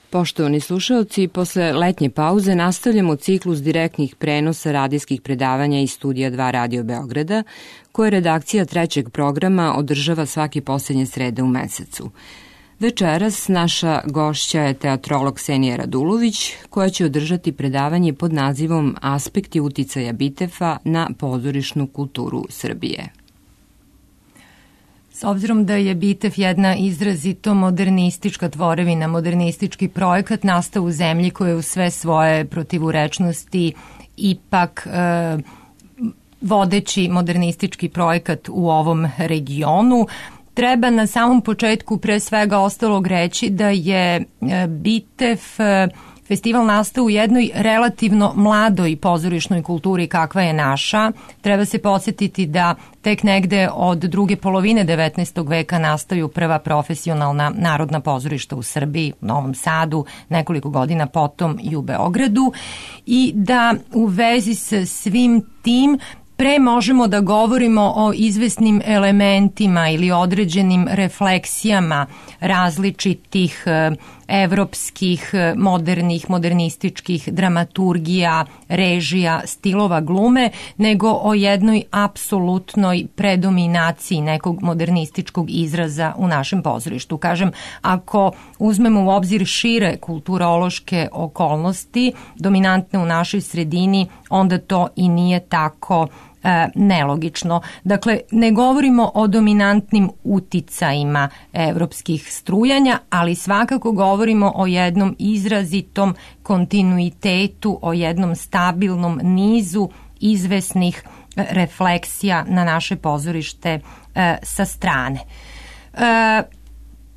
Poštovani slušalci, posle letnje pauze nastavljamo ciklus direktnih prenosa radijskih predavanja iz Studija 2 Radio Beograda, koje redakcija trećeg programa održava svake poslednje srede u mesecu. Večeras naša gošća je teatrolog Ksenija Radulović, koja će održati predavanje pod nazivom Aspekti uticaja Bitefa na pozorišnu kulturu Srbije. S obzirom da je Bitef jedna izrazito modernistička tvorevina, modernistički projekat nastao u zemlji koja je u sve svoje protivurečnosti ipak vodeći modernistički projekat u ovom regionu, treba na samom početku pre svega ostalog reći da je Bitef festival nastao u jednoj relativno mladoj pozorišnoj kulturi kakva je naša. Treba se podsjetiti da tek negde od druge polovine 19. veka nastaju prva profesionalna narodna pozorišta u Srbiji, u Novom Sadu, nekoliko godina potom i u Beogradu, i da u vezi sa svim tim pre možemo da govorimo o izvesnim elementima ili određenim refleksijama različitih evropskih, modernih, modernističkih dramaturgija, režija, stilova glume, nego o jednoj apsolutnoj predominaciji nekog modernističkog izraza u našem pozorištu. Kažem, ako uzmemo u obzir šire kulturološke okolnosti dominantne u našoj sredini, onda to i nije tako nelogično. Dakle, ne govorimo o dominantnim uticajima evropskih strujanja, ali svakako govorimo o jednom izrazitom kontinuitetu, o jednom stabilnom nizu izvesnih refleksija na naše pozorište sa strane.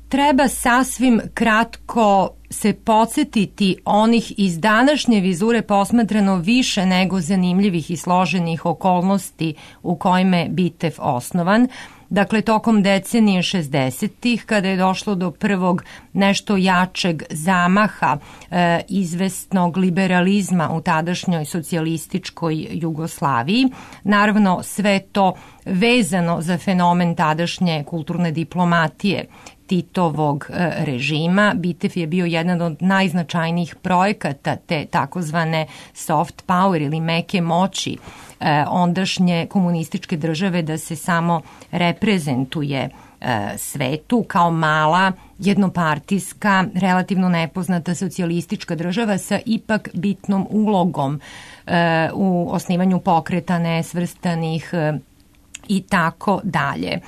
Treba sasvim kratko se podsjetiti onih iz današnje vizure posmatrano više nego zanimljivih i složenih okolnosti u kojima je Bitef osnovan. Dakle, tokom decenije 60-ih, kada je došlo do prvog nešto jačeg zamaha izvesnog liberalizma u tadašnjoj socijalističkoj Jugoslaviji, naravno sve to vezano za fenomen tadašnje kulturne diplomatije Titovog režima. Bitef je bio jedan od najznačajnijih projekata te takozvane soft power ili meke moći ondašnje komunističke države da se samo reprezentuje svetu kao mala, jednopartijska, relativno nepoznata socijalistička država sa ipak bitnom ulogom u osnivanju pokreta nesvrstanih i tako dalje.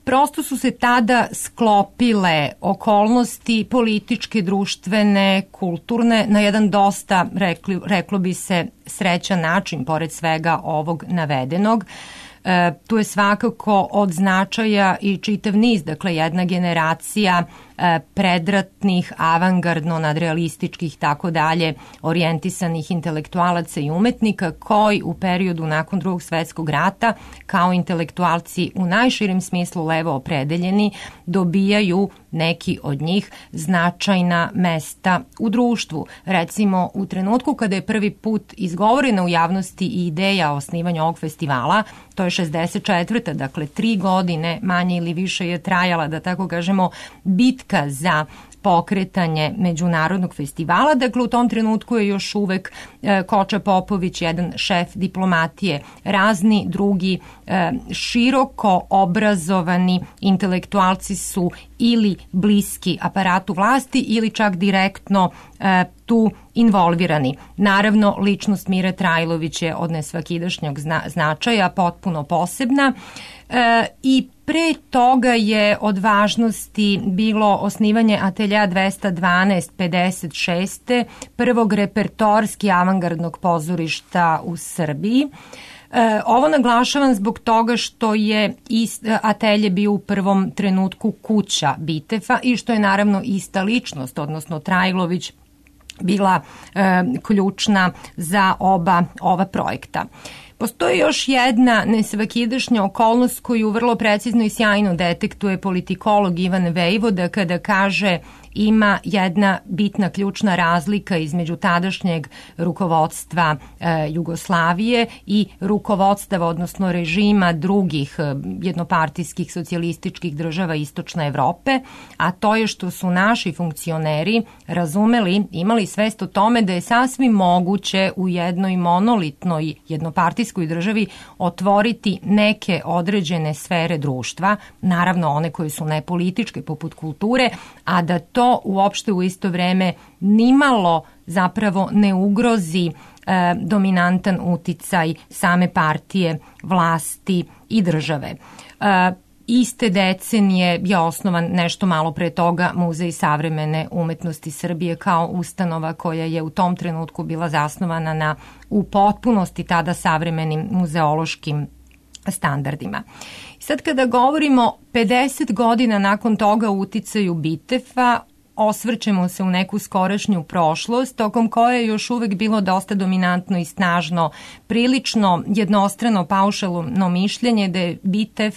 Prosto su se tada sklopile okolnosti političke, društvene, kulturne na jedan dosta, reklo bi se, srećan način, pored svega ovog navedenog. Tu je svakako od značaja i čitav niz, dakle jedna generacija predratnih, avangardno, nadrealističkih, tako dalje, orijentisanih intelektualaca i umetnika koji u periodu nakon Drugog svetskog rata kao intelektualci u najširem smislu levo opredeljeni dobijaju neki od njih značajna mesta u društvu. Recimo, u trenutku kada je prvi put izgovorena u javnosti i ideja o osnivanju ovog festivala, to je 64. Dakle 3 godine manje ili više je trajala, da tako kažemo, bitka za pokretanje međunarodnog festivala. Dakle, u tom trenutku je još uvek Koča Popović, jedan šef diplomatije, razni drugi široko obrazovani intelektualci su ili bliski aparatu vlasti ili čak direktno tu involvirani. Naravno, ličnost Mire Trajlović je od nesvakidašnjog značaja, potpuno posebna i pre toga je od važnosti bilo osnivanje Atelja 212 56. prvog repertorski avangardnog pozorišta u Srbiji. Ovo naglašavam zbog toga što je Atelje bio u prvom trenutku kuća Bitefa i što je naravno ista ličnost, odnosno Trajlović, bila ključna za ova projekta. Postoji još jedna nesvakidašnja okolnost koju vrlo precizno i sjajno detektuje politikolog Ivan Vejvoda kada kaže ima jedna bitna ključna razlika između tadašnjeg rukovodstva Jugoslavije i rukovodstva, odnosno režima drugih jednopartijskih socijalističkih država Istočne Evrope, a to je što su naši funkcioneri razumeli, imali svest o tome da je sasvim moguće u jednoj monolitnoj jednopartijskoj državi otvoriti neke određene sfere društva, naravno one koje su nepolitičke poput kulture, a da to uopšte u isto vreme nimalo zapravo ne ugrozi dominantan uticaj same partije, vlasti i države. Iste decenije je osnovan nešto malo pre toga Muzej savremene umetnosti Srbije kao ustanova koja je u tom trenutku bila zasnovana na u potpunosti tada savremenim muzeološkim standardima. Sad kada govorimo 50 godina nakon toga o uticaju Bitefa, osvrćemo se u neku skorašnju prošlost, tokom koje je još uvek bilo dosta dominantno i snažno, prilično jednostrano paušalno mišljenje da je Bitev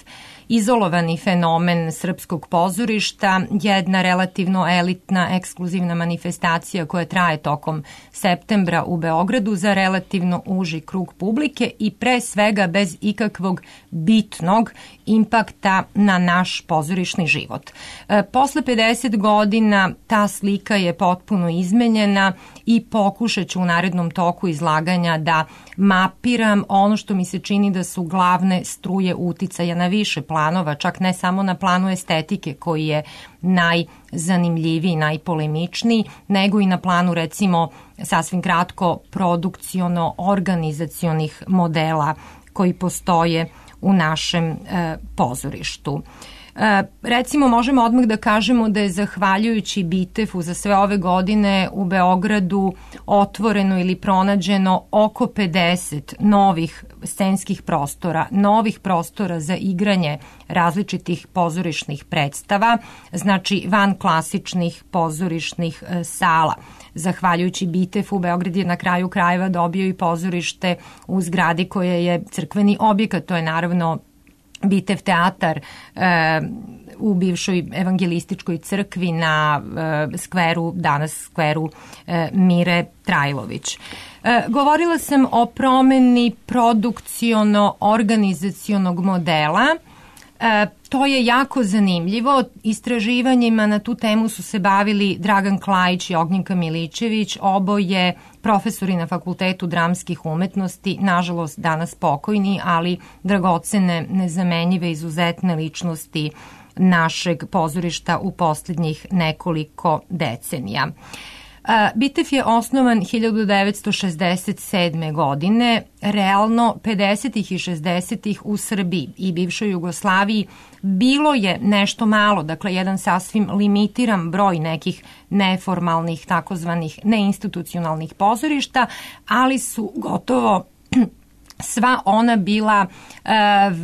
izolovani fenomen srpskog pozorišta, jedna relativno elitna, ekskluzivna manifestacija koja traje tokom septembra u Beogradu za relativno uži krug publike i pre svega bez ikakvog bitnog impakta na naš pozorišni život. Posle 50 godina ta slika je potpuno izmenjena i pokušat ću u narednom toku izlaganja da mapiram ono što mi se čini da su glavne struje uticaja na više planova, čak ne samo na planu estetike koji je najzanimljiviji, najpolemičniji, nego i na planu recimo sasvim kratko produkciono-organizacionih modela koji postoje u našem pozorištu. Recimo možemo odmah da kažemo da je zahvaljujući Bitefu za sve ove godine u Beogradu otvoreno ili pronađeno oko 50 novih scenskih prostora, novih prostora za igranje različitih pozorišnih predstava, znači van klasičnih pozorišnih sala. Zahvaljujući Bitefu, Beograd je na kraju krajeva dobio i pozorište u zgradi koja je crkveni objekat, to je naravno Bitev teatar u bivšoj evangelističkoj crkvi na skveru, danas skveru Mire Trajlović. Govorila sam o promeni produkciono-organizacionog modela. To je jako zanimljivo. Istraživanjima na tu temu su se bavili Dragan Klajić i Ognjenka Milićević, oboje profesori na Fakultetu dramskih umetnosti, nažalost danas pokojni, ali dragocene, nezamenjive, izuzetne ličnosti našeg pozorišta u posljednjih nekoliko decenija. Bitev je osnovan 1967. godine, realno 50. i 60. u Srbiji i bivšoj Jugoslaviji bilo je nešto malo, dakle jedan sasvim limitiran broj nekih neformalnih, takozvanih neinstitucionalnih pozorišta, ali su gotovo sva ona bila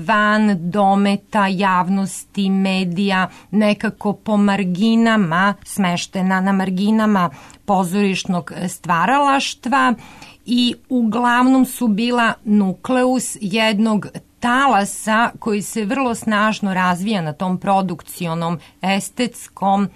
van dometa javnosti, medija, nekako po marginama, smeštena na marginama pozorišnog stvaralaštva i uglavnom su bila nukleus jednog talasa koji se vrlo snažno razvija na tom produkcionom, estetskom,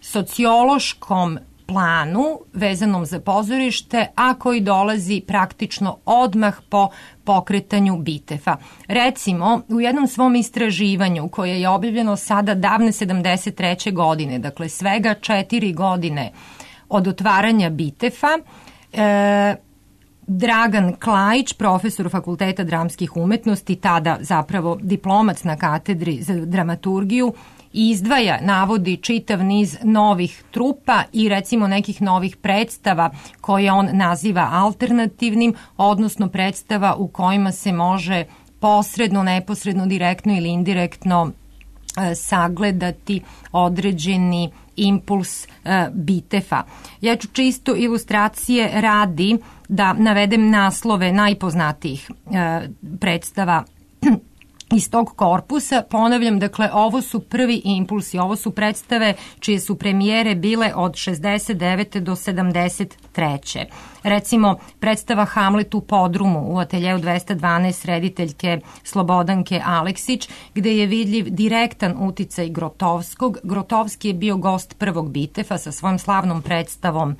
sociološkom planu vezanom za pozorište, a koji dolazi praktično odmah po pokretanju Bitefa. Recimo, u jednom svom istraživanju koje je objavljeno sada davne 73. godine, dakle svega 4 godine od otvaranja Bitefa, Dragan Klajić, profesor Fakulteta dramskih umetnosti, tada zapravo diplomac na katedri za dramaturgiju, izdvaja, navodi čitav niz novih trupa i recimo nekih novih predstava koje on naziva alternativnim, odnosno predstava u kojima se može posredno, neposredno, direktno ili indirektno sagledati određeni impuls Bitefa. Ja ću čisto ilustracije radi da navedem naslove najpoznatijih predstava iz tog korpusa. Ponavljam, dakle, ovo su prvi impulsi, ovo su predstave čije su premijere bile od 69. do 73. Recimo, predstava Hamlet u podrumu u ateljeu 212 rediteljke Slobodanke Aleksić, gde je vidljiv direktan uticaj Grotovskog. Grotovski je bio gost prvog Bitefa sa svojom slavnom predstavom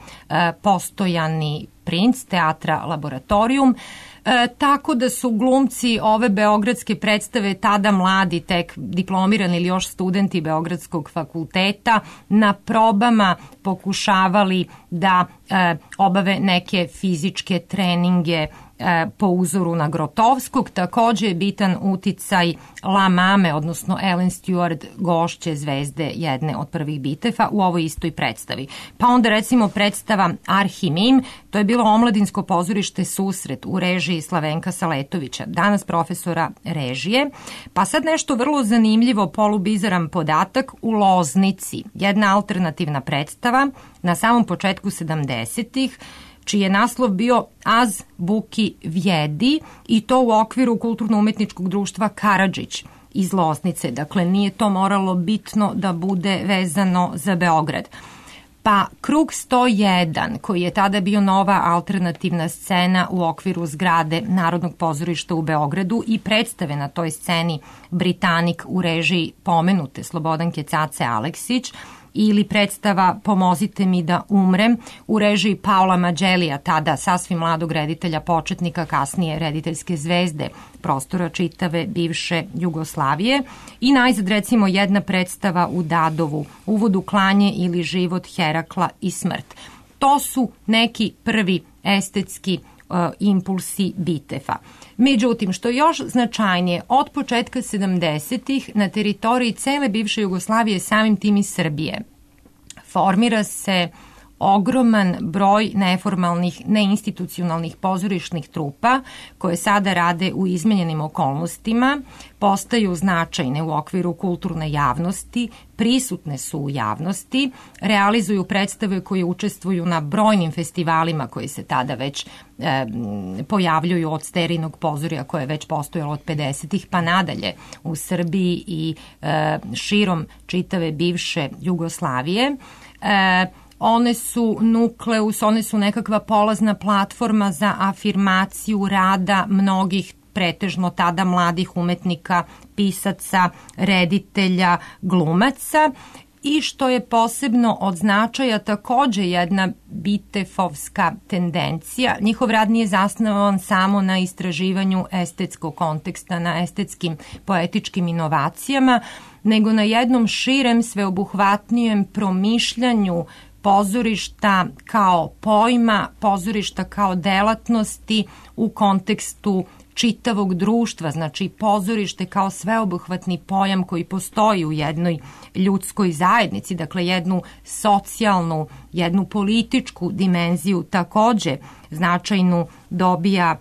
Postojani princ teatra Laboratorijum. Tako da su glumci ove beogradske predstave, tada mladi, tek diplomirani ili još studenti Beogradskog fakulteta, na probama pokušavali da obave neke fizičke treninge po uzoru na Grotovskog. Takođe je bitan uticaj La Mame, odnosno Ellen Stewart, gošće zvezde jedne od prvih Bitefa u ovoj istoj predstavi. Pa onda recimo predstava Arhimim, to je bilo omladinsko pozorište Susret u režiji Slavenka Saletovića, danas profesora režije. Pa sad nešto vrlo zanimljivo, polubizaran podatak, u Loznici, jedna alternativna predstava na samom početku 70-ih, čiji je naslov bio Az Buki Vjedi, i to u okviru kulturno-umetničkog društva Karadžić iz Loznice. Dakle, nije to moralo bitno da bude vezano za Beograd. Pa Krug 101, koji je tada bio nova alternativna scena u okviru zgrade Narodnog pozorišta u Beogradu i predstave na toj sceni Britanik u režiji pomenute Slobodanke Cace Aleksić, ili predstava Pomozite mi da umrem u režiji Paola Mađelija, tada sasvim mladog reditelja početnika, kasnije rediteljske zvezde prostora čitave bivše Jugoslavije. I najzad recimo jedna predstava u Dadovu, Uvod u klanje ili Život Herakla i smrt. To su neki prvi estetski impulsi Bitefa. Međutim, što je još značajnije, od početka 70-ih na teritoriji cele bivše Jugoslavije, samim tim i Srbije, formira se ogroman broj neformalnih, neinstitucionalnih pozorišnih trupa koje sada rade u izmenjenim okolnostima, postaju značajne u okviru kulturne javnosti, prisutne su u javnosti, realizuju predstave koje učestvuju na brojnim festivalima koji se tada već pojavljuju od Sterinog pozorja koje je već postojalo od 50-ih pa nadalje u Srbiji i širom čitave bivše Jugoslavije. One su nukleus, one su nekakva polazna platforma za afirmaciju rada mnogih pretežno tada mladih umetnika, pisaca, reditelja, glumaca. I što je posebno od značaja, takođe jedna bitefovska tendencija. Njihov rad nije zasnovan samo na istraživanju estetskog konteksta, na estetskim poetičkim inovacijama, nego na jednom širem, sveobuhvatnijem promišljanju pozorišta kao pojma, pozorišta kao delatnosti u kontekstu čitavog društva, znači pozorište kao sveobuhvatni pojam koji postoji u jednoj ljudskoj zajednici, dakle jednu socijalnu, jednu političku dimenziju takođe značajnu dobija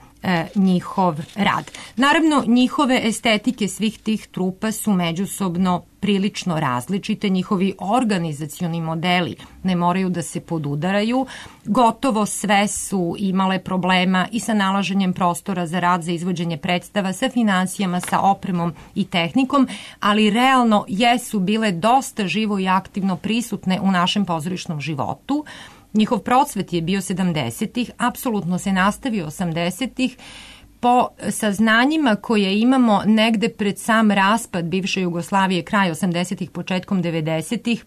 njihov rad. Naravno, njihove estetike svih tih trupa su međusobno prilično različite, njihovi organizacioni modeli ne moraju da se podudaraju, gotovo sve su imale problema i sa nalaženjem prostora za rad, za izvođenje predstava, sa financijama, sa opremom i tehnikom, ali realno jesu bile dosta živo i aktivno prisutne u našem pozorišnom životu. Njihov procvet je bio 70-ih, apsolutno se nastavio 80-ih, po saznanjima koje imamo negde pred sam raspad bivše Jugoslavije, kraj 80-ih, početkom 90-ih,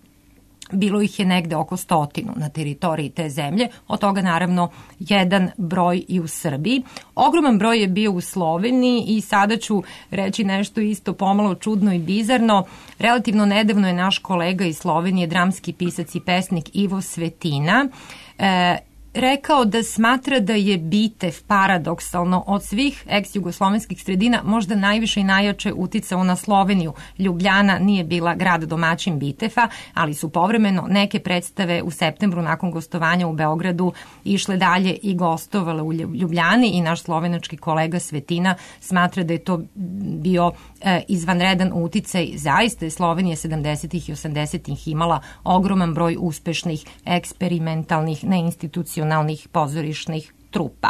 bilo ih je negde oko 100 na teritoriji te zemlje, od toga naravno jedan broj i u Srbiji. Ogroman broj je bio u Sloveniji i sada ću reći nešto isto pomalo čudno i bizarno. Relativno nedavno je naš kolega iz Slovenije, dramski pisac i pesnik Ivo Svetina, rekao da smatra da je Bitev paradoksalno od svih ex-jugoslovenskih sredina možda najviše i najjače uticao na Sloveniju. Ljubljana nije bila grad domaćin Bitefa, ali su povremeno neke predstave u septembru nakon gostovanja u Beogradu išle dalje i gostovale u Ljubljani i naš slovenački kolega Svetina smatra da je to bio izvanredan uticaj. Zaista je Slovenija 70-ih i 80-ih imala ogroman broj uspešnih, eksperimentalnih, neinstitucionalnih pozorišnih trupa.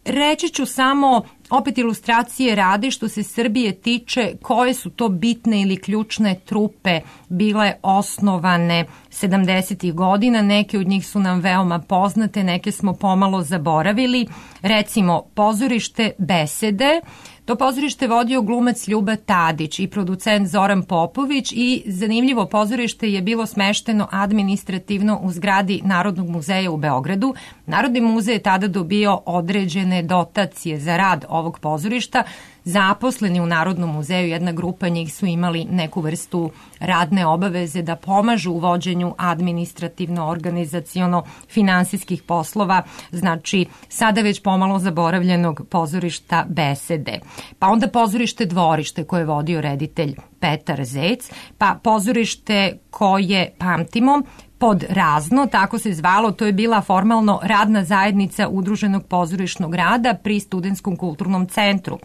Reći ću samo opet ilustracije radi što se Srbije tiče, koje su to bitne ili ključne trupe bile osnovane 70. godina. Neke od njih su nam veoma poznate, neke smo pomalo zaboravili. Recimo, pozorište Besede. To pozorište vodio glumac Ljuba Tadić i producent Zoran Popović i zanimljivo, pozorište je bilo smešteno administrativno u zgradi Narodnog muzeja u Beogradu. Narodni muzej je tada dobio određene dotacije za rad ovog pozorišta. Zaposleni u Narodnom muzeju, jedna grupa njih su imali neku vrstu radne obaveze da pomažu u vođenju administrativno-organizaciono-finansijskih poslova, znači sada već pomalo zaboravljenog pozorišta Besede. Pa onda pozorište Dvorište koje je vodio reditelj Petar Zec, pa pozorište koje pamtimo pod Razno, tako se zvalo, to je bila formalno radna zajednica Udruženog pozorišnog rada pri Studentskom kulturnom centru.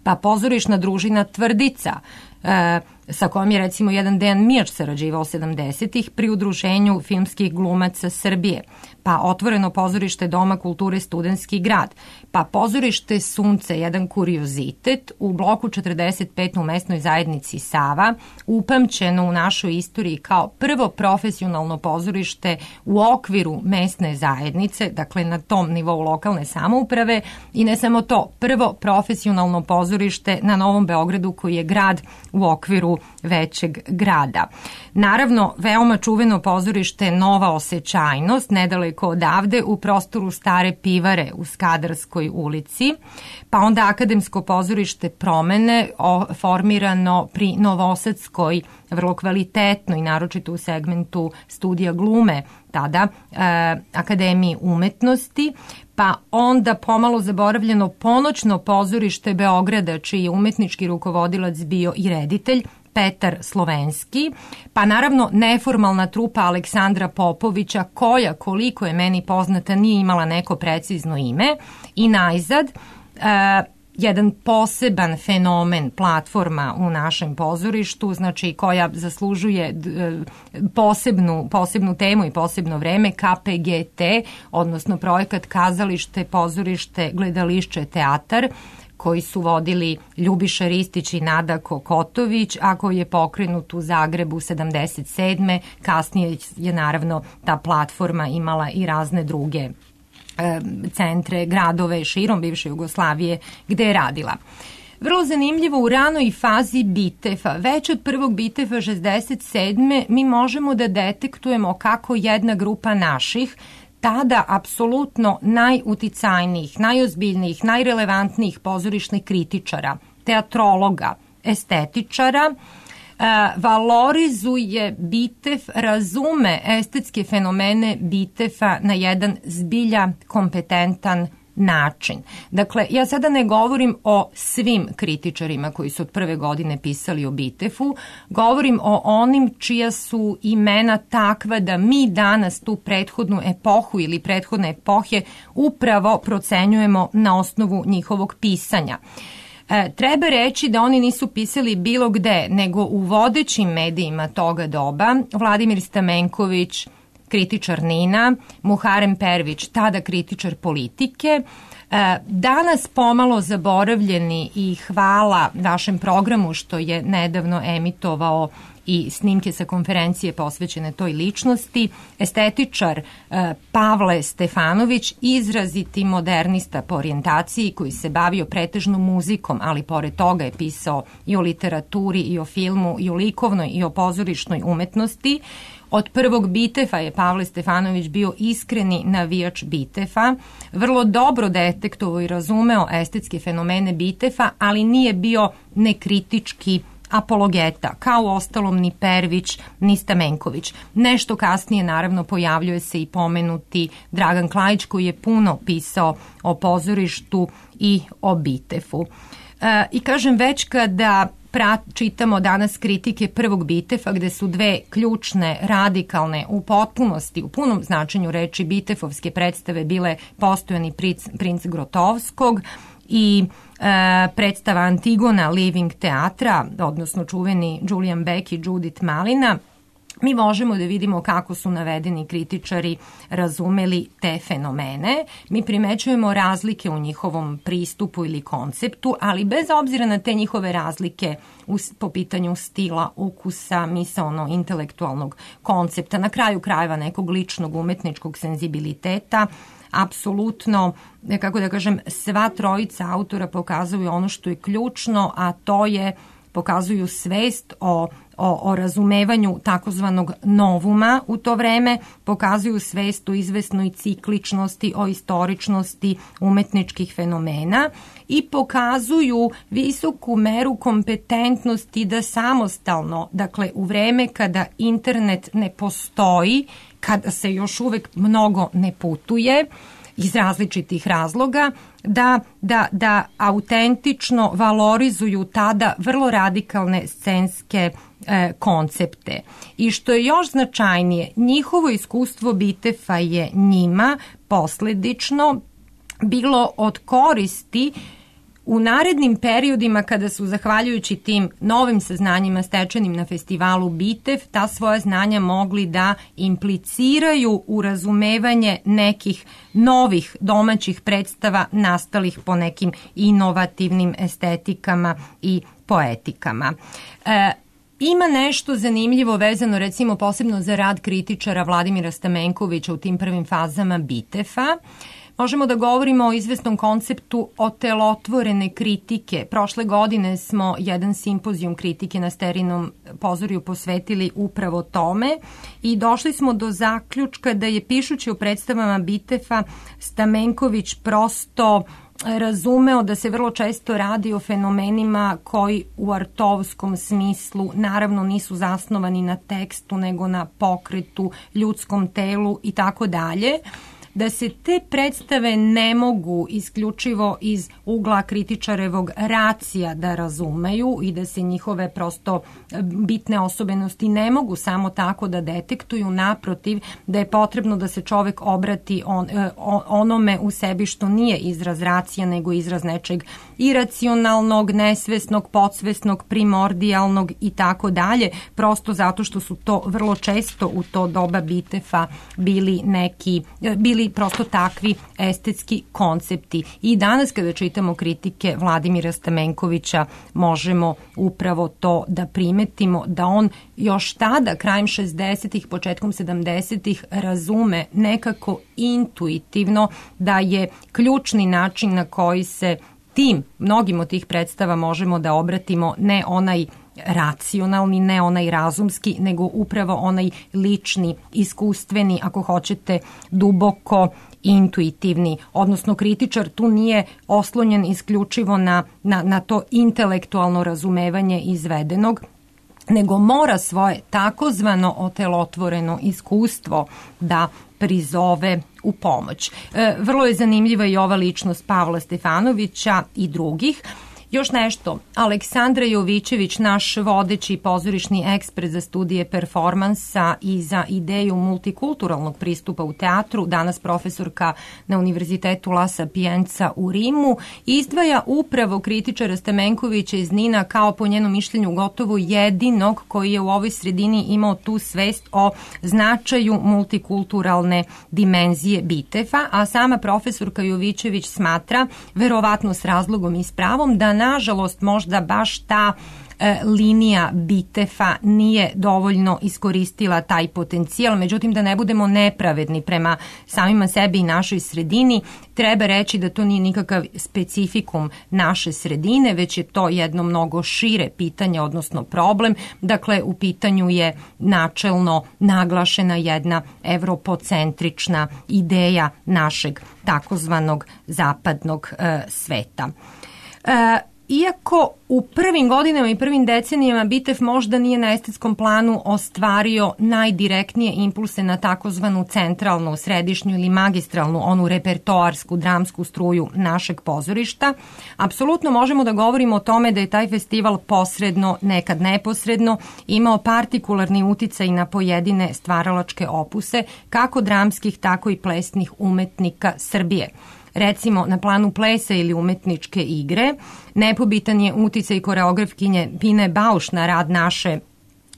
Pa pozorišna družina Tvrdica, sa kojom je recimo jedan Dejan Mijač sarađivao 70-ih pri Udruženju filmskih glumaca Srbije, pa otvoreno pozorište Doma kulture Studentski grad, pa pozorište Sunce, jedan kuriozitet, u bloku 45 u mesnoj zajednici Sava, upamćeno u našoj istoriji kao prvo profesionalno pozorište u okviru mesne zajednice, dakle na tom nivou lokalne samouprave, i ne samo to, prvo profesionalno pozorište na Novom Beogradu koji je grad u okviru većeg grada. Naravno, veoma čuveno pozorište Nova Osjećajnost, nedaleko odavde u prostoru Stare pivare u Skadarskoj ulici, pa onda Akademsko pozorište Promene, formirano pri Novosadskoj, vrlo kvalitetno i naročito u segmentu studija glume, tada Akademiji umetnosti, pa onda pomalo zaboravljeno Ponoćno pozorište Beograda, čiji je umetnički rukovodilac bio i reditelj Petar Slovenski, pa naravno neformalna trupa Aleksandra Popovića, koja, koliko je meni poznata, nije imala neko precizno ime, i najzad jedan poseban fenomen, platforma u našem pozorištu, znači koja zaslužuje posebnu temu i posebno vreme, KPGT, odnosno projekat Kazalište, pozorište, gledališće, teatar, koji su vodili Ljubiša Ristić i Nada Kokotović, a koji je pokrenut u Zagrebu 77. Kasnije je naravno ta platforma imala i razne druge centre, gradove širom bivše Jugoslavije gde je radila. Vrlo zanimljivo, u ranoj fazi Bitefa, već od prvog Bitefa 67. mi možemo da detektujemo kako jedna grupa naših, tada apsolutno najuticajnijih, najozbiljnijih, najrelevantnijih pozorišnih kritičara, teatrologa, estetičara, valorizuje Bitef, razume estetske fenomene Bitefa na jedan zbilja kompetentan način. Dakle, ja sada ne govorim o svim kritičarima koji su od prve godine pisali o Bitefu, govorim o onim čija su imena takva da mi danas tu prethodnu epohu ili prethodne epohe upravo procenjujemo na osnovu njihovog pisanja. Treba reći da oni nisu pisali bilo gde, nego u vodećim medijima toga doba. Vladimir Stamenković, kritičar NIN-a, Muharem Pervić, tada kritičar politike. Danas pomalo zaboravljeni i hvala vašem programu što je nedavno emitovao i snimke sa konferencije posvećene toj ličnosti, estetičar Pavle Stefanović, izraziti modernista po orijentaciji koji se bavio pretežno muzikom, ali pored toga je pisao i o literaturi, i o filmu, i o likovnoj, i o pozorišnoj umetnosti. Od prvog Bitefa je Pavle Stefanović bio iskreni navijač Bitefa, vrlo dobro detektovao i razumeo estetske fenomene Bitefa, ali nije bio nekritički apologeta, kao ostalom ni Pervić, ni Stamenković. Nešto kasnije, naravno, pojavljuje se i pomenuti Dragan Klajić, koji je puno pisao o pozorištu i o Bitefu. I kažem, već kada čitamo danas kritike prvog Bitefa, gde su dve ključne, radikalne, u potpunosti, u punom značenju reči bitefovske predstave bile Postojani princ Grotovskog i predstava Antigona Living teatra, odnosno čuveni Julian Beck i Judith Malina, mi možemo da vidimo kako su navedeni kritičari razumeli te fenomene. Mi primećujemo razlike u njihovom pristupu ili konceptu, ali bez obzira na te njihove razlike po pitanju stila, ukusa, misaono-intelektualnog koncepta, na kraju krajeva nekog ličnog umetničkog senzibiliteta, apsolutno, kako da kažem, sva trojica autora pokazuju ono što je ključno, a to je pokazuju svest o razumevanju takozvanog novuma u to vreme, pokazuju svest o izvesnoj cikličnosti, o istoričnosti umetničkih fenomena i pokazuju visoku meru kompetentnosti da samostalno, dakle u vreme kada internet ne postoji, kada se još uvek mnogo ne putuje, iz različitih razloga, da autentično valorizuju tada vrlo radikalne scenske koncepte. I što je još značajnije, njihovo iskustvo Bitefa je njima posledično bilo od koristi u narednim periodima kada su, zahvaljujući tim novim saznanjima stečenim na festivalu Bitev, ta svoja znanja mogli da impliciraju u razumevanje nekih novih domaćih predstava nastalih po nekim inovativnim estetikama i poetikama. Ima nešto zanimljivo vezano recimo posebno za rad kritičara Vladimira Stamenkovića u tim prvim fazama Bitefa. Možemo da govorimo o izvesnom konceptu otelotvorene kritike. Prošle godine smo jedan simpozijum kritike na Sterinom pozorju posvetili upravo tome i došli smo do zaključka da je pišući o predstavama Bitefa Stamenković prosto razumeo da se vrlo često radi o fenomenima koji u artovskom smislu naravno nisu zasnovani na tekstu nego na pokretu, ljudskom telu i tako dalje, da se te predstave ne mogu isključivo iz ugla kritičarevog racija da razumeju i da se njihove prosto bitne osobenosti ne mogu samo tako da detektuju, naprotiv, da je potrebno da se čovek obrati onome u sebi što nije izraz racija nego izraz nečeg iracionalnog, nesvesnog, podsvesnog, primordijalnog i tako dalje, prosto zato što su to vrlo često u to doba Bitefa bili prosto takvi estetski koncepti. I danas kada čitamo kritike Vladimira Stamenkovića možemo upravo to da primetimo, da on još tada, krajem 60-ih, početkom 70-ih, razume nekako intuitivno da je ključni način na koji se mnogim od tih predstava možemo da obratimo ne onaj racionalni, ne onaj razumski, nego upravo onaj lični, iskustveni, ako hoćete, duboko intuitivni. Odnosno, kritičar tu nije oslonjen isključivo na to intelektualno razumevanje izvedenog, nego mora svoje takozvano otelotvoreno iskustvo da prizove u pomoć. Vrlo je zanimljiva i ova ličnost Pavla Stefanovića i drugih. Još nešto, Aleksandra Jovićević, naš vodeći pozorišni ekspert za studije performansa i za ideju multikulturalnog pristupa u teatru, danas profesorka na Univerzitetu La Sapienza u Rimu, izdvaja upravo kritičara Stamenkovića iz Nina kao, po njenom mišljenju, gotovo jedinog koji je u ovoj sredini imao tu svest o značaju multikulturalne dimenzije Bitefa, a sama profesorka Jovićević smatra, verovatno s razlogom i s pravom, da nažalost možda baš ta linija Bitefa nije dovoljno iskoristila taj potencijal. Međutim, da ne budemo nepravedni prema samima sebi i našoj sredini, treba reći da to nije nikakav specifikum naše sredine, već je to jedno mnogo šire pitanje, odnosno problem. Dakle, u pitanju je načelno naglašena jedna evropocentrična ideja našeg takozvanog zapadnog sveta. Iako u prvim godinama i prvim decenijama Bitev možda nije na estetskom planu ostvario najdirektnije impulse na takozvanu centralnu, središnju ili magistralnu, onu repertoarsku, dramsku struju našeg pozorišta, apsolutno možemo da govorimo o tome da je taj festival posredno, nekad neposredno, imao partikularni uticaj na pojedine stvaralačke opuse, kako dramskih, tako i plesnih umetnika Srbije. Recimo, na planu plesa ili umetničke igre, nepobitan je uticaj koreografkinje Pine Bauš na rad naše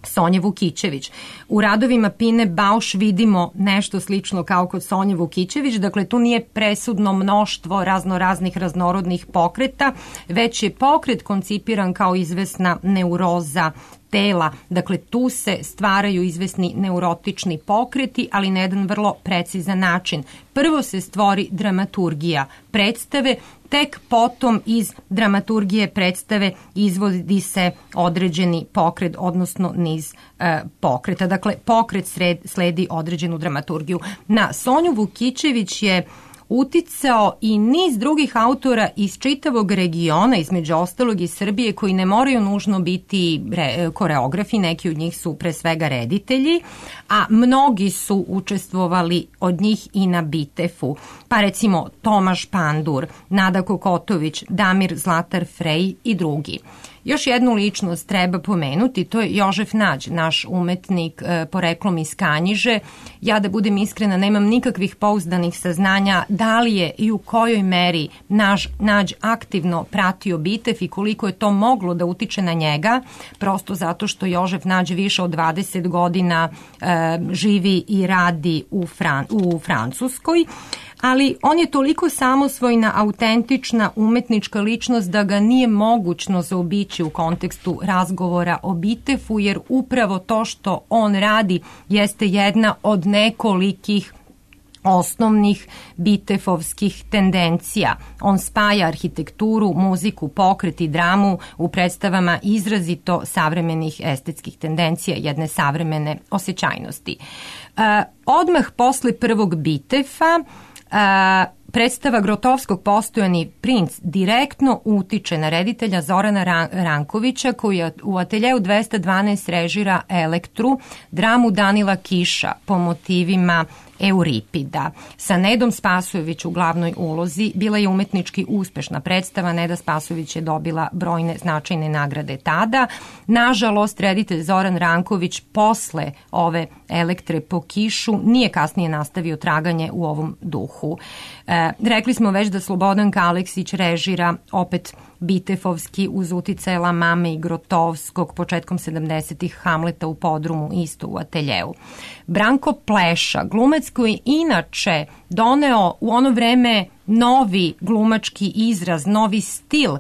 Sonje Vukićević. U radovima Pine Bausch vidimo nešto slično kao kod Sonje Vukićević, dakle tu nije presudno mnoštvo raznoraznih raznorodnih pokreta, već je pokret koncipiran kao izvesna neuroza tela, dakle tu se stvaraju izvesni neurotični pokreti, ali na jedan vrlo precizan način. Prvo se stvori dramaturgija predstave, tek potom iz dramaturgije predstave izvodi se određeni pokret, odnosno niz pokreta. Dakle, pokret sledi određenu dramaturgiju. Na Sonju Vukićević je uticao i niz drugih autora iz čitavog regiona, između ostalog i Srbije, koji ne moraju nužno biti koreografi, neki od njih su pre svega reditelji, a mnogi su učestvovali od njih i na Bitefu. Pa recimo Tomaš Pandur, Nada Kokotović, Damir Zlatar Frej i drugi. Još jednu ličnost treba pomenuti, to je Jožef Nađ, naš umetnik poreklom iz Kanjiže. Ja, da budem iskrena, nemam nikakvih pouzdanih saznanja da li je i u kojoj meri Nađ aktivno pratio Bitef i koliko je to moglo da utiče na njega, prosto zato što Jožef Nađ više od 20 godina živi i radi u Francuskoj. Ali on je toliko samosvojna, autentična umetnička ličnost da ga nije mogućno zaobići u kontekstu razgovora o Bitefu, jer upravo to što on radi jeste jedna od nekolikih osnovnih bitefovskih tendencija. On spaja arhitekturu, muziku, pokret i dramu u predstavama izrazito savremenih estetskih tendencija, jedne savremene osjećajnosti. Odmah posle prvog Bitefa predstava Grotovskog Postojani princ direktno utiče na reditelja Zorana Rankovića, koji u ateljeu 212 režira Elektru, dramu Danila Kiša po motivima Euripida. Sa Nedom Spasojević u glavnoj ulozi bila je umetnički uspešna predstava. Neda Spasojević je dobila brojne značajne nagrade tada. Nažalost, reditelj Zoran Ranković posle ove Elektre po Kišu nije kasnije nastavio traganje u ovom duhu. Rekli smo već da Slobodanka Aleksić režira opet bitefovski uz uticaj Lamame i Grotovskog početkom 70-ih Hamleta u podrumu, isto u ateljeu. Branko Pleša, glumac koji je inače doneo u ono vreme novi glumački izraz, novi stil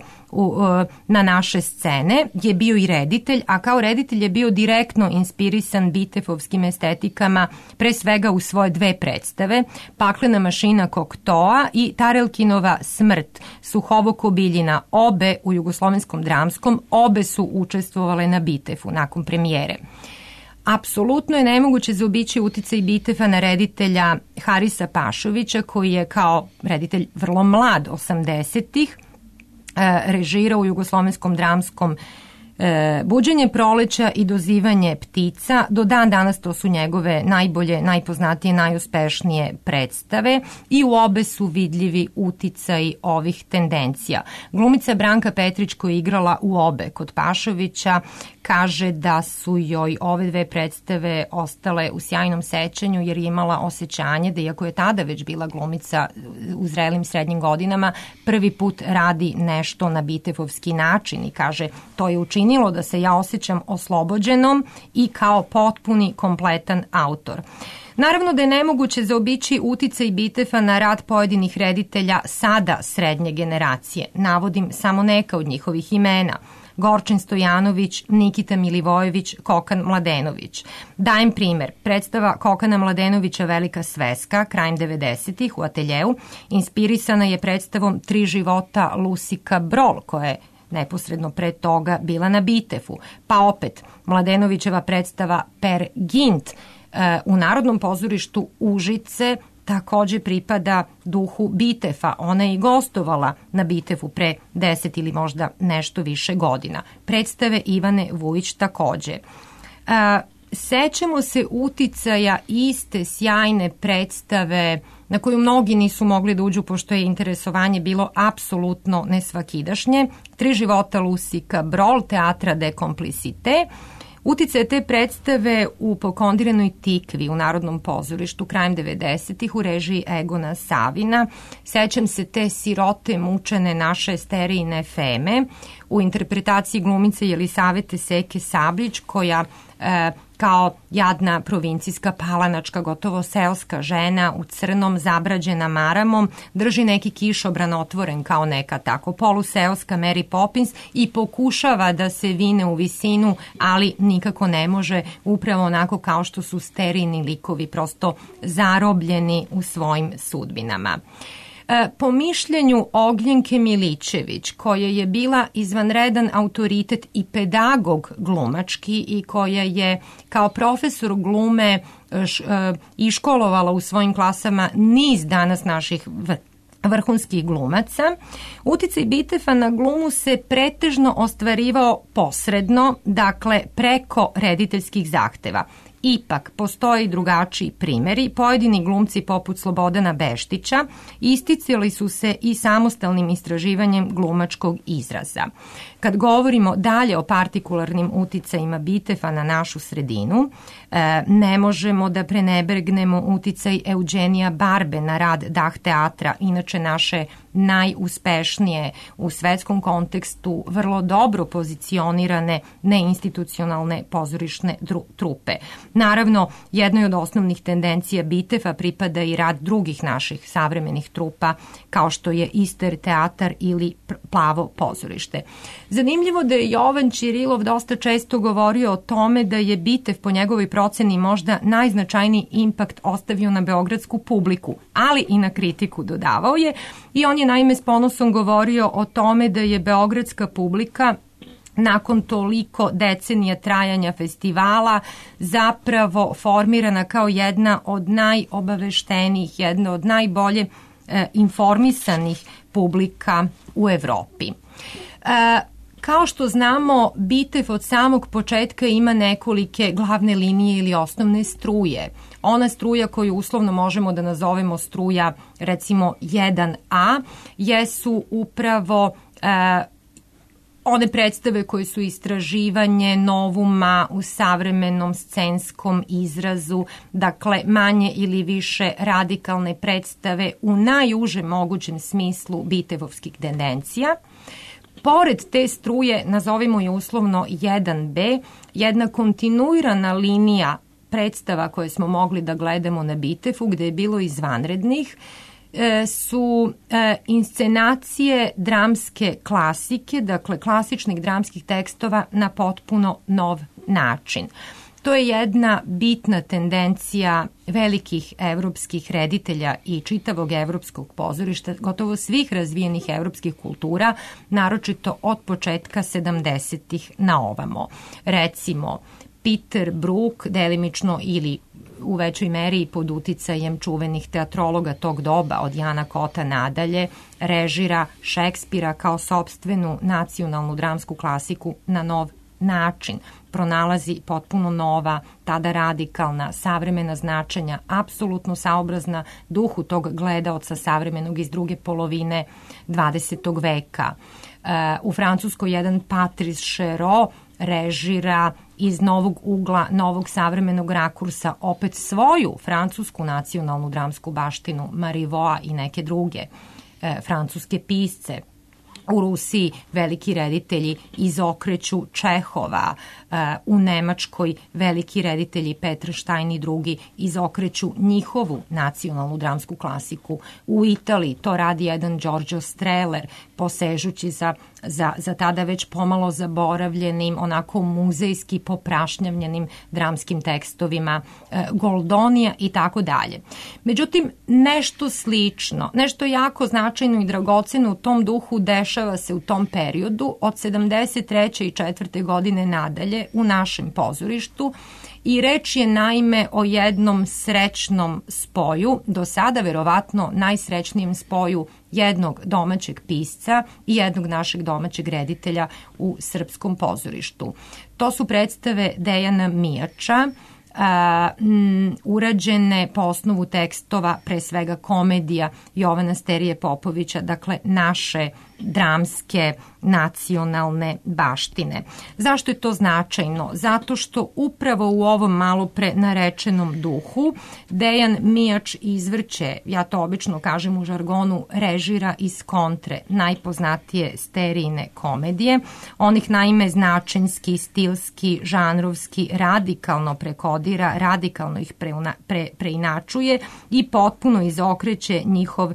na naše scene, je bio i reditelj, a kao reditelj je bio direktno inspirisan bitefovskim estetikama, pre svega u svoje dve predstave, Paklena mašina Koktoa i Tarelkinova smrt Suhovoko Biljina, obe u Jugoslovenskom dramskom, obe su učestvovale na Bitefu nakon premijere. Apsolutno je nemoguće zaobići uticaj Bitefa na reditelja Harisa Pašovića, koji je kao reditelj vrlo mlad 80-ih režirao u Jugoslovenskom dramskom Buđenje proleća i Dozivanje ptica. Do dan danas to su njegove najbolje, najpoznatije, najuspešnije predstave i u obe su vidljivi uticaji ovih tendencija. Glumica Branka Petrić, koja je igrala u obe kod Pašovića, kaže da su joj ove dve predstave ostale u sjajnom sećanju, jer je imala osjećanje da, iako je tada već bila glumica u zrelim srednjim godinama, prvi put radi nešto na bitefovski način i kaže, to je učinilo da se ja osjećam oslobođenom i kao potpuni, kompletan autor. Naravno da je nemoguće zaobići uticaj Bitefa na rad pojedinih reditelja sada srednje generacije. Navodim samo neka od njihovih imena: Gorčin Stojanović, Nikita Milivojević, Kokan Mladenović. Dajem primer, predstava Kokana Mladenovića Velika sveska, krajem 90-ih u ateljeu, inspirisana je predstavom Tri života Lusika Brol, koja je neposredno pre toga bila na Bitefu. Pa opet, Mladenovićeva predstava Per Gint u Narodnom pozorištu Užice takođe pripada duhu Bitefa. Ona je i gostovala na Bitefu pre 10 ili možda nešto više godina. Predstave Ivane Vujić takođe. Sećamo se uticaja iste sjajne predstave na koju mnogi nisu mogli da uđu pošto je interesovanje bilo apsolutno nesvakidašnje. Tri života Lusika Brol, Teatra de Complicite. Uticaje te predstave u Pokondiranoj tikvi u Narodnom pozorištu krajem 90-ih u režiji Egona Savina. Sećam se te sirote mučene naše sterijine Feme u interpretaciji glumice Jelisavete Seke Sablić, koja kao jadna provincijska palanačka, gotovo seoska žena u crnom, zabrađena maramom, drži neki kišobran otvoren kao neka tako poluseoska Mary Poppins i pokušava da se vine u visinu, ali nikako ne može, upravo onako kao što su sterijni likovi prosto zarobljeni u svojim sudbinama. Po mišljenju Ognjenke Milićević, koja je bila izvanredan autoritet i pedagog glumački i koja je kao profesor glume iškolovala u svojim klasama niz danas naših vrhunskih glumaca, uticaj Bitefa na glumu se pretežno ostvarivao posredno, dakle preko rediteljskih zahteva. Ipak, postoje i drugačiji primjeri. Pojedini glumci poput Slobodana Beštića isticali su se i samostalnim istraživanjem glumačkog izraza. Kad govorimo dalje o partikularnim uticajima Bitefa na našu sredinu, ne možemo da prenebergnemo uticaj Eugenija Barbe na rad Dah teatra, inače naše najuspešnije u svetskom kontekstu vrlo dobro pozicionirane neinstitucionalne pozorišne trupe. Naravno, jednoj od osnovnih tendencija Bitefa pripada i rad drugih naših savremenih trupa, kao što je Ister teatar ili Plavo pozorište. Zanimljivo da je Jovan Ćirilov dosta često govorio o tome da je Bitev po njegovoj proceni možda najznačajniji impakt ostavio na beogradsku publiku, ali i na kritiku, dodavao je, i on je naime s ponosom govorio o tome da je beogradska publika nakon toliko decenija trajanja festivala zapravo formirana kao jedna od najobaveštenijih, jedna od najbolje informisanih publika u Evropi. Kao što znamo, Bitev od samog početka ima nekolike glavne linije ili osnovne struje. Ona struja koju uslovno možemo da nazovemo struja recimo 1A jesu upravo one predstave koje su istraživanje novuma u savremenom scenskom izrazu, dakle manje ili više radikalne predstave u najužem mogućem smislu bitevovskih tendencija. Pored te struje, nazovimo je uslovno 1B, jedna kontinuirana linija predstava koje smo mogli da gledamo na Bitefu, gde je bilo izvanrednih, su inscenacije dramske klasike, dakle klasičnih dramskih tekstova na potpuno nov način. To je jedna bitna tendencija velikih evropskih reditelja i čitavog evropskog pozorišta, gotovo svih razvijenih evropskih kultura, naročito od početka 70-ih na ovamo. Recimo, Peter Brook, delimično ili u većoj meri pod uticajem čuvenih teatrologa tog doba od Jana Kota nadalje, režira Šekspira kao sopstvenu nacionalnu dramsku klasiku na nov način. Pronalazi potpuno nova, tada radikalna, savremena značenja, apsolutno saobrazna duhu tog gledaoca savremenog iz druge polovine 20. veka. U Francuskoj jedan Patrice Chéreau režira iz novog ugla, novog savremenog rakursa opet svoju francusku nacionalnu dramsku baštinu, Marivaux i neke druge francuske pisce. U Rusiji veliki reditelji izokreću Čehova, u Nemačkoj veliki reditelji Petr Stein i drugi izokreću njihovu nacionalnu dramsku klasiku. U Italiji to radi jedan Giorgio Strehler, posežući za tada već pomalo zaboravljenim, onako muzejski poprašnjavljenim dramskim tekstovima Goldonija i tako dalje. Međutim, nešto slično, nešto jako značajno i dragoceno u tom duhu dešava se u tom periodu od 73. i 4. godine nadalje u našem pozorištu i reč je naime o jednom srećnom spoju, do sada verovatno najsrećnijem spoju jednog domaćeg pisca i jednog našeg domaćeg reditelja u srpskom pozorištu. To su predstave Dejana Mijača, urađene po osnovu tekstova, pre svega komedija Jovana Sterije Popovića, dakle naše dramske nacionalne baštine. Zašto je to značajno? Zato što upravo u ovom malo pre narečenom duhu Dejan Mijač izvrće, ja to obično kažem u žargonu, režira iz kontre najpoznatije Sterijine komedije. On ih naime značenski, stilski, žanrovski radikalno prekodira, radikalno ih preinačuje i potpuno izokreće njihov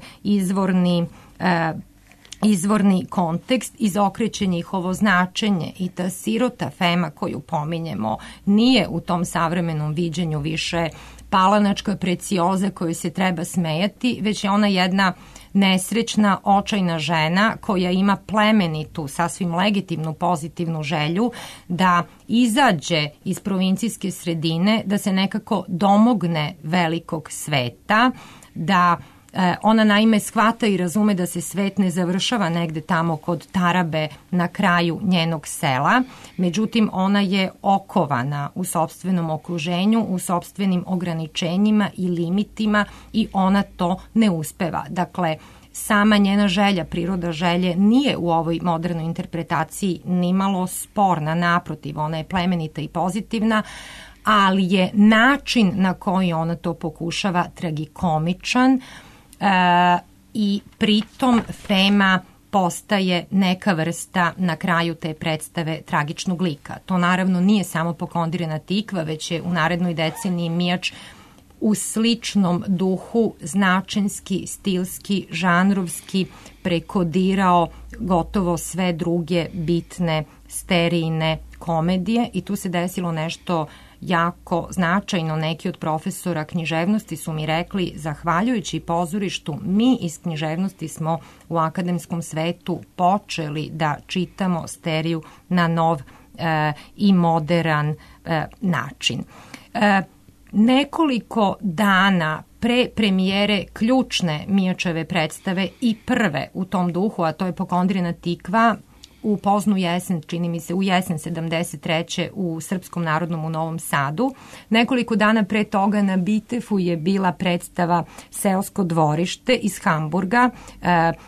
izvorni kontekst, izokreće njihovo značenje i ta sirota Fema koju pominjemo nije u tom savremenom viđenju više palanačka precioza koju se treba smejati, već je ona jedna nesrećna, očajna žena koja ima plemenitu, sasvim legitimnu, pozitivnu želju da izađe iz provincijske sredine, da se nekako domogne velikog sveta, da ona naime shvata i razume da se svet ne završava negde tamo kod tarabe na kraju njenog sela, međutim ona je okovana u sopstvenom okruženju, u sopstvenim ograničenjima i limitima i ona to ne uspeva. Dakle, sama njena želja, priroda želje nije u ovoj modernoj interpretaciji nimalo sporna, naprotiv, ona je plemenita i pozitivna, ali je način na koji ona to pokušava tragikomičan, i pritom Fema postaje neka vrsta na kraju te predstave tragičnog lika. To naravno nije samo Pokondirana tikva, već je u narednoj deceniji Mijač u sličnom duhu značenski, stilski, žanrovski prekodirao gotovo sve druge bitne Sterijine komedije i tu se desilo nešto jako značajno. Neki od profesora književnosti su mi rekli, zahvaljujući pozorištu, mi iz književnosti smo u akademskom svetu počeli da čitamo Steriju na nov i modern način. Nekoliko dana pre premijere ključne Mijačeve predstave i prve u tom duhu, a to je Pokondirana tikva, u poznu jesen, čini mi se u jesen 73. u Srpskom narodnom u Novom Sadu. Nekoliko dana pre toga na Bitefu je bila predstava Seosko dvorište iz Hamburga,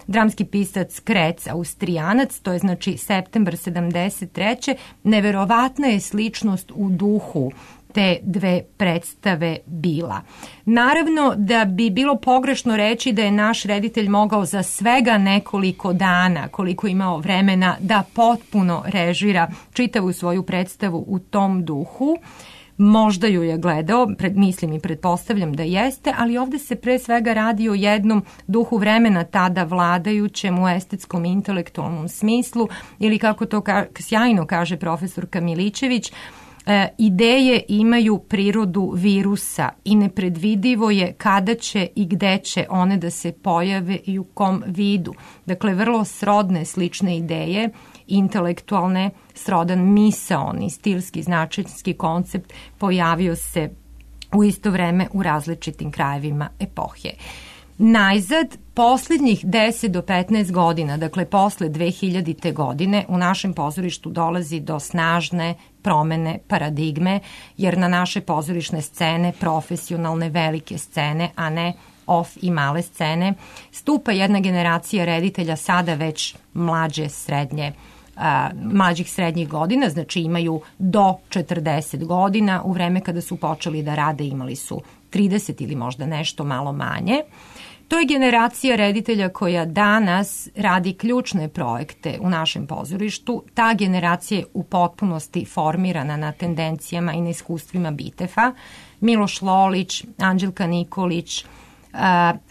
dramski pisac Krec, Austrijanac, to je znači septembar 73. Neverovatna je sličnost u duhu te dve predstave bila. Naravno da bi bilo pogrešno reći da je naš reditelj mogao za svega nekoliko dana, koliko je imao vremena, da potpuno režira čitavu svoju predstavu u tom duhu. Možda ju je gledao, mislim i pretpostavljam da jeste, ali ovde se pre svega radi o jednom duhu vremena tada vladajućem u estetskom i intelektualnom smislu, ili kako to sjajno kaže profesorka Milićević, ideje imaju prirodu virusa i nepredvidivo je kada će i gde će one da se pojave i u kom vidu. Dakle, vrlo srodne, slične ideje, intelektualne, srodan misaoni, stilski, značajski koncept pojavio se u isto vreme u različitim krajevima epohe. Najzad, posljednjih 10 do 15 godina, dakle posle 2000. godine, u našem pozorištu dolazi do snažne promene paradigme, jer na naše pozorišne scene, profesionalne velike scene, a ne off i male scene, stupa jedna generacija reditelja sada već mlađih srednjih godina, znači imaju do 40 godina, u vreme kada su počeli da rade imali su 30 ili možda nešto malo manje. To je generacija reditelja koja danas radi ključne projekte u našem pozorištu. Ta generacija je u potpunosti formirana na tendencijama i na iskustvima Bitefa. Miloš Lolić, Anđelka Nikolić,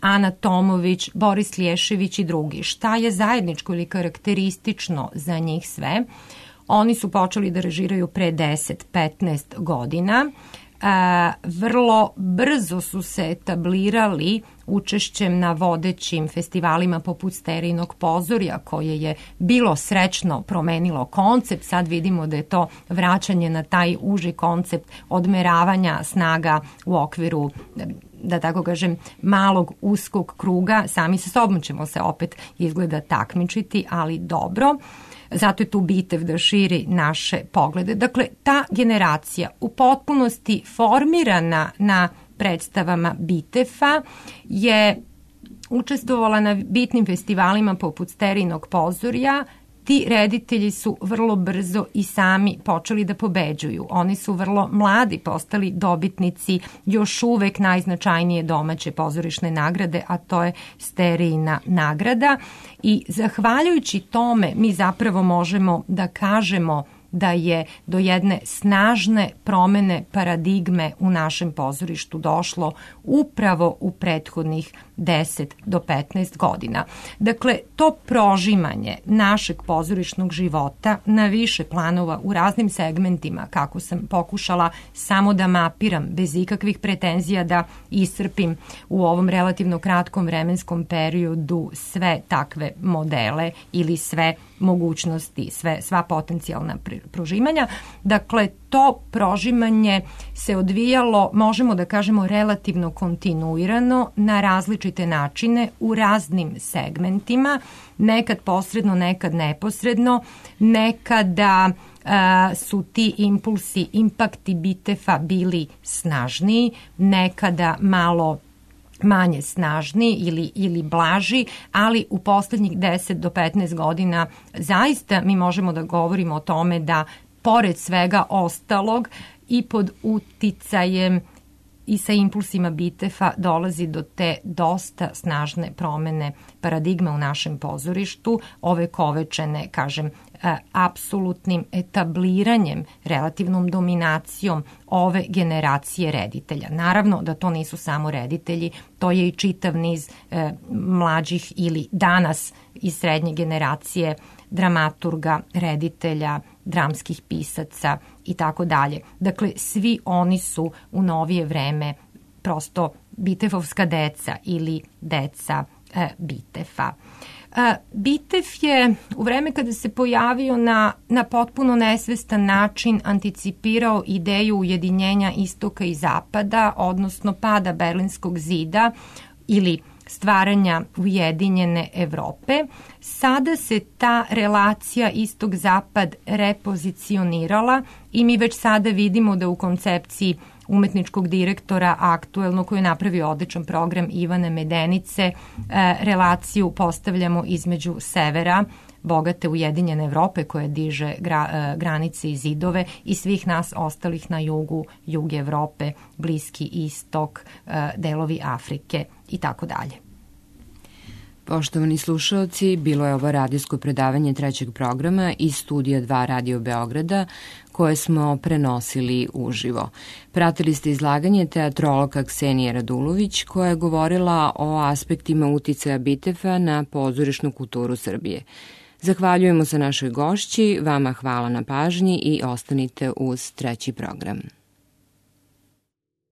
Ana Tomović, Boris Lješević i drugi. Šta je zajedničko ili karakteristično za njih sve? Oni su počeli da režiraju pre 10-15 godina. Vrlo brzo su se etablirali učešćem na vodećim festivalima poput Sterijinog pozorja, koje je bilo srećno promenilo koncept. Sad vidimo da je to vraćanje na taj uži koncept odmeravanja snaga u okviru, da tako kažem, malog uskog kruga. Sami sa sobom ćemo se opet izgleda takmičiti, ali dobro. Zato je tu Bitev da širi naše poglede. Dakle, ta generacija u potpunosti formirana na predstavama Bitefa je učestvovala na bitnim festivalima poput Sterinog pozorja, ti reditelji su vrlo brzo i sami počeli da pobeđuju. Oni su vrlo mladi postali dobitnici još uvek najznačajnije domaće pozorišne nagrade, a to je Sterijina nagrada. I zahvaljujući tome mi zapravo možemo da kažemo da je do jedne snažne promene paradigme u našem pozorištu došlo upravo u prethodnih 10 do 15 godina. Dakle, to prožimanje našeg pozorišnog života na više planova u raznim segmentima, kako sam pokušala samo da mapiram, bez ikakvih pretenzija da iscrpim u ovom relativno kratkom vremenskom periodu sve takve modele ili sve mogućnosti, sva potencijalna prožimanja. Dakle, to prožimanje se odvijalo, možemo da kažemo, relativno kontinuirano na različite načine u raznim segmentima, nekad posredno, nekad neposredno, nekada su ti impulsi, impakti Bitefa bili snažniji, nekada malo manje snažni ili blaži, ali u poslednjih 10 do 15 godina zaista mi možemo da govorimo o tome da pored svega ostalog i pod uticajem i sa impulsima Bitefa dolazi do te dosta snažne promene paradigme u našem pozorištu, ovekovečene, kažem, apsolutnim etabliranjem, relativnom dominacijom ove generacije reditelja. Naravno da to nisu samo reditelji, to je i čitav niz mlađih ili danas iz srednje generacije dramaturga, reditelja, dramskih pisaca i tako dalje. Dakle, svi oni su u novije vreme prosto Bitefovska deca ili deca Bitefa. Bitef je u vreme kada se pojavio na potpuno nesvestan način anticipirao ideju ujedinjenja istoka i zapada, odnosno pada Berlinskog zida ili stvaranja ujedinjene Evrope. Sada se ta relacija istok-zapad repozicionirala i mi već sada vidimo da u koncepciji umetničkog direktora aktuelno, koji je napravio odličan program, Ivana Medenice, relaciju postavljamo između severa, bogate ujedinjene Evrope koja diže granice i zidove, i svih nas ostalih na jugu, jug Evrope, Bliski istok, delovi Afrike i tako dalje. Poštovani slušaoci, bilo je ovo radijsko predavanje trećeg programa iz studija 2 Radio Beograda, koje smo prenosili uživo. Pratili ste izlaganje teatrologa Ksenije Radulović, koja je govorila o aspektima uticaja Bitefa na pozorišnu kulturu Srbije. Zahvaljujemo se našoj gošći, vama hvala na pažnji i ostanite uz treći program.